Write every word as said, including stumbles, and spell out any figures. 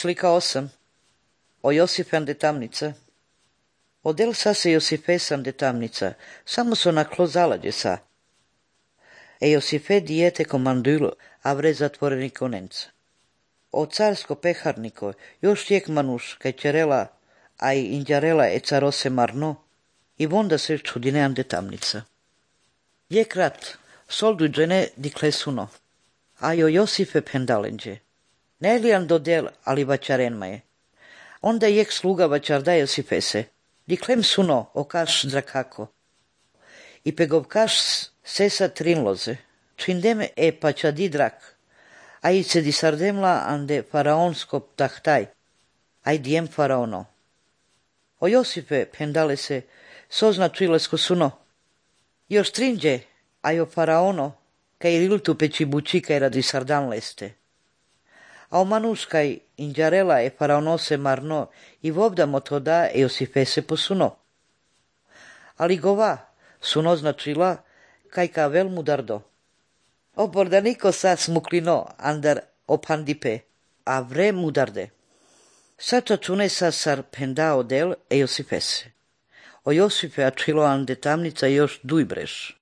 Slika osam. O Josife de tamnica. Odel sa se Josifesan de tamnica, samo so na klozalađe sa. E Josife dijete komandulo, a vre zatvoreni konenca. O carsko peharniko, još tijek manuš, kaj ćerela, a i indjarela e carose marno, i vonda se čudinean de tamnica. Je krat, soldu džene di klesuno, a jo Josife pendalenđe. Ne lijan do del, ali vaćarenma je. Onda jek sluga vaćarda Josifese, di klem suno o kaš drakako. I pegov kaš sesa trinloze, čindeme e pačadi drak, a i se di sardemla ande faraonsko tahtaj, aj dijem faraono. O Josife pendale se, sozna čilesko suno. Još trinđe, a jo faraono, kaj riltu peći buči kaj radi sardan leste. A o manuškaj indjarela e faraonose marno i vobdamo to da e Josifese posuno. Ali gova suno značila kaj ka vel mudardo. O bordaniko sa smuklino andar opandipe, a vre mudarde. Sača čune sa sar pendao del e Josifese. O Josife a čilo ande tamnica još duj breš.